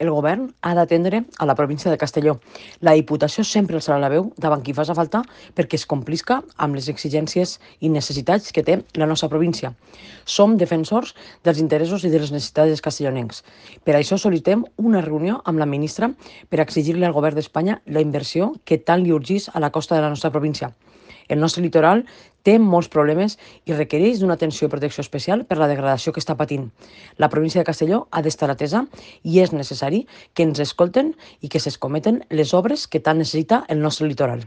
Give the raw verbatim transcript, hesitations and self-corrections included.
El govern ha d'atendre a la província de Castelló. La Diputació sempre alçarà la veu davant qui faci falta perquè es complisca amb les exigències i necessitats que té la nostra província. Som defensors dels interessos i de les necessitats dels castellonencs. Per això sol·licitem una reunió amb la ministra per exigir-li al govern d'Espanya la inversió que tant li urgís a la costa de la nostra província. El nostre litoral té molts problemes i requereix d'una atenció i protecció especial per la degradació que està patint. La província de Castelló ha d'estar atesa i és necessari que ens escolten i que s'escometen les obres que tant necessita el nostre litoral.